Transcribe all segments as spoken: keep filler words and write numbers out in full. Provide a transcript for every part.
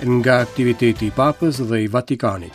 Nga aktiviteti i Papës dhe i Vatikanit.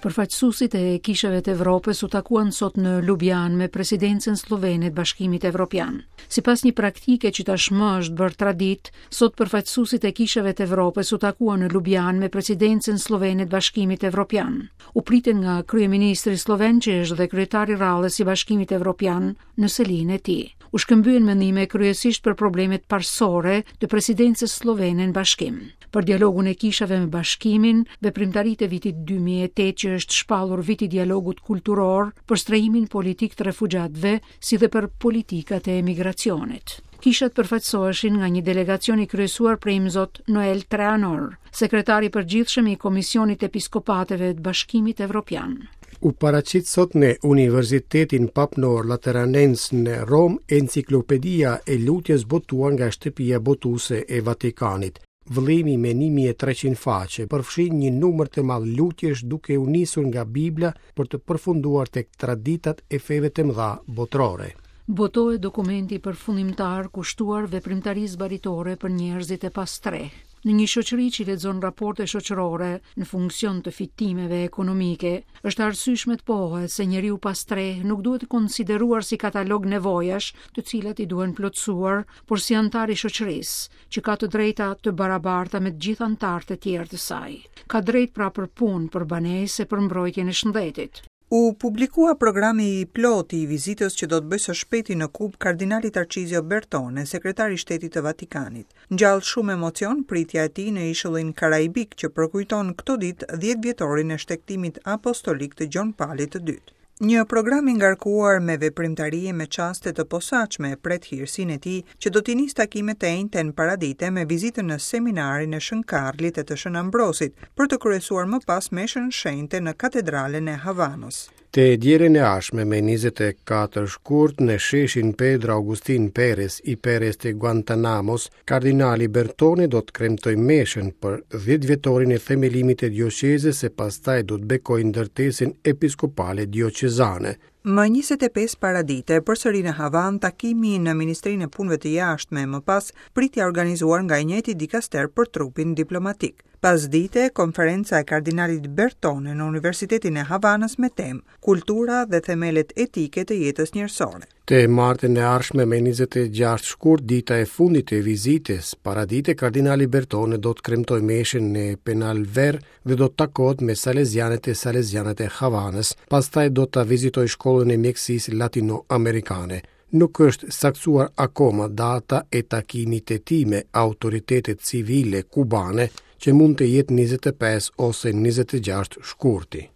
Përfaqësuesit e kishave të Evropës u takuan sot në Lubjan me presidencën sllovene të Bashkimit Evropian. Sipas një praktike që tashmë është bërë traditë, sot përfaqësuesit e kishave të Evropës u takuan në Lubjan me presidencën sllovene të Bashkimit Evropian. U pritën nga kryeministri slloven, që është dhe kryetari i rrallës i Bashkimit Evropian, në selinë e tij. U shkëmbyen mendime kryesisht për problemet parësore të presidencës sllovene në Bashkim, për dialogun e kishave me Bashkimin, veprimtaritë e vitit dy mijë e tetë që është shpallur viti dialogut kulturor, për strehimin politik të refugjatëve, si dhe për politikat e emigracionit. Kishat përfaqësoheshin nga një delegacion i kryesuar prej Imzot Noel Treanor, sekretari i përgjithshëm i Komisionit Episkopateve të Bashkimit Evropian. U paraqit sot në Universitetin Papnor Lateranens në Romë enciklopedia e lutjes botuar nga Shtëpia Botuese e Vatikanit. Vëllimi me një mijë e treqind faqe përfshin një numër të madh lutjesh duke u nisur nga Bibla për të përfunduar tek traditat e feve të mëdha botërore. Botohet dokumenti përfundimtar kushtuar veprimtarisë baritore për njerëzit e pastreh. Në një shoqëri që lexon raporte shoqërore në funksion të fitimeve ekonomike, është arsyeshme të pohohet se njeriu pastreh nuk duhet të konsideruar si katalog nevojash të cilat i duhen plotësuar, por si antar i shoqërisë, që ka të drejta të barabarta me të gjithë antarët e tjerë të saj. Ka drejt pra për punë, për banesë e për mbrojtjen e shëndetit. U publikua programi i plotë i vizitës që do të bëjë së shpejti në Kubë kardinali Tarcizio Bertone, sekretari i Shtetit të Vatikanit. Ngjall shumë emocion pritja e tij në ishullin Karaibik që përkujton këto ditë dhjetë vjetorin e shtegtimit apostolik të Gjon Palit të dytë. Një program i ngarkuar me veprimtari e me çaste të posaçme pret hirësinë e tij që do t'i nisë takimet të enjten paradite me vizitën në seminarin e Shën Karlit e të Shën Ambrosit, për të kryesuar më pas meshën shenjte në katedralen e Havanës. Të dielën e ardhshme me njëzet e katër shkurt në sheshin Pedro Agustin Perez i Perez të Guantanamos, kardinali Bertone do të kremtojë meshën për dhjetë vjetorin e themelimit të dioqezës e pastaj do të bekojë ndërtesën episkopale dioqezane. Më njëzet e pesë paradite, përsëri në Havan, takimi në Ministrinë e Punëve të Jashtme, më pas pritja organizuar nga i njëjti dikaster për trupin diplomatik. Pasdite, konferenca e kardinalit Bertone në Universitetin e Havanës me temë Kultura dhe themelet etike të jetës njerëzore. Të martën e ardhshme me njëzet e gjashtë shkurt, dita e fundit e vizitës, paradite kardinali Bertone do të kremtojë meshën në Penalver dhe do të takohet me salezianët e salezianët e Havanës, pastaj do ta vizitojë shkollën e mjekësisë latinoamerikane. Nuk është saktësuar akoma data e takimit të tij me autoritetet civile kubane, që mund të jetë njëzet e pesë ose njëzet e gjashtë shkurti.